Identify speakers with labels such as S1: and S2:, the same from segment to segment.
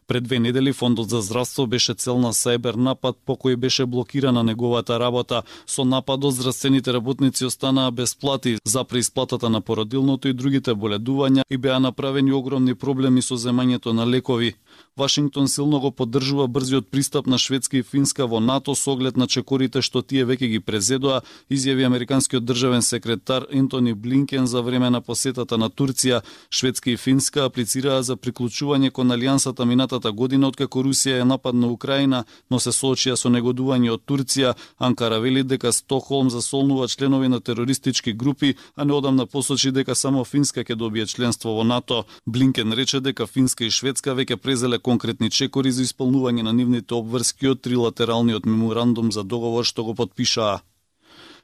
S1: Пред 2 недели Фондот за здравство беше цел на сајбер напад по кој беше блокирана неговата работа. Со нападот здравствените работници останаа без плати за преисплатата на породилното и другите боледувања и беа направени огромни проблеми со земањето на лекови. Вашингтон силно го поддржува брзиот пристап на Шведска и Финска во НАТО со оглед на чекорите што тие веќе ги презедоа, изјави американскиот државен секретар Ентони Блинкен за време на посетата на Турција. Шведска и Финска аплицираа за приклучување кон алијансата минатата година откако Русија е нападна Украина, но се соочија со негодување од Турција. Анкара вели дека Стокхолм засолнува членови на терористички групи, а неодамна посочи дека само Финска ќе добие членство во НАТО. Блинкен рече дека Финска и Шведска веќе презеле конкретни чекори за исполнување на нивните обврски од трилатералниот меморандум за договор што го потпишаа.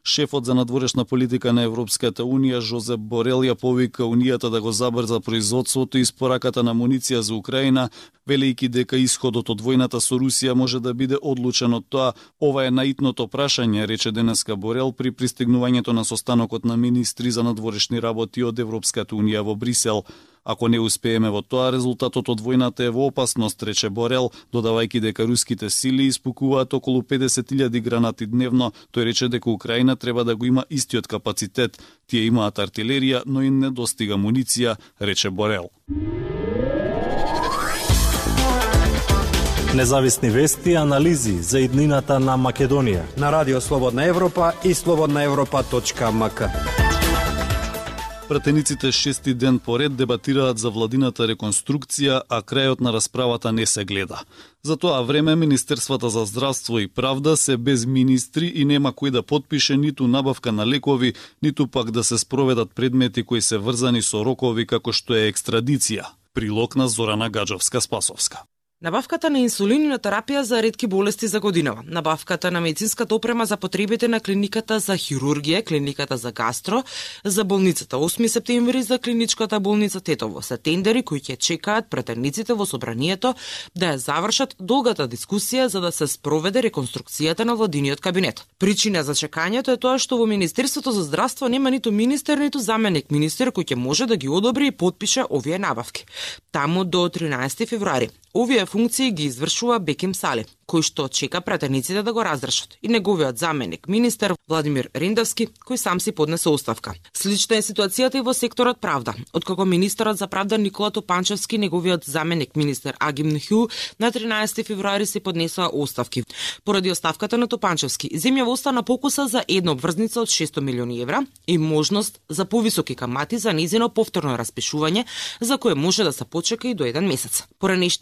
S1: Шефот за надворешна политика на Европската Унија Жозеп Борел ја повика Унијата да го забрза производството и испораката на муниција за Украина, велејќи дека исходот од војната со Русија може да биде одлучен од тоа. Ова е наитното прашање, рече денеска Борел при пристигнувањето на состанокот на министри за надворешни работи од Европската Унија во Брисел. Ако не успееме во тоа, резултатот од војната е во опасност, рече Борел, додавајќи дека руските сили испукуваат околу 50.000 гранати дневно. Тој рече дека Украина треба да го има истиот капацитет. Тие имаат артилерија, но им не достига муниција, рече Борел.
S2: Независни вести и анализи за иднината на Македонија
S3: на Радио Слободна Европа и slobodnaevropa.mk.
S1: Пратениците 6-ти ден поред дебатираат за владината реконструкција, а крајот на расправата не се гледа. За тоа време Министерствата за здравство и правда се без министри и нема кој да потпише ниту набавка на лекови, ниту пак да се спроведат предмети кои се врзани со рокови како што е екстрадиција. Прилог на Зорана Гаджовска-Спасовска.
S4: Набавката на инсулин и на терапија за ретки болести за годинава. Набавката на медицинската опрема за потребите на клиниката за хирургија, клиниката за гастро, за болницата 8 септември, за клиничката болница Тетово. Се тендери кои ќе чекаат претендниците во собранието да ја завршат долгата дискусија за да се спроведе реконструкцијата на владиниот кабинет. Причина за чекањето е тоа што во Министерството за здравство нема ниту министер, ниту заменик министер кој ќе може да ги одобри и потпише овие набавки. Таму до 13 февруари. Овие функции ги извршува Беким Сали, кој што чека пратениците да го разрешат, и неговиот заменик министер Владимир Риндовски, кој сам си поднесе оставка. Слична е ситуацијата и во секторот правда. Откако министерот за правда Никола Топанчевски, неговиот заменик министер Агим Нхю на 13 февруари се поднесоа оставки. Поради оставката на Топанчевски, земјава остана покуса за една обврзница од 600 милиони евра и можност за повисоки камати за незино повторно распишување, за кое може да се почека и до 1 месец. Поранешниот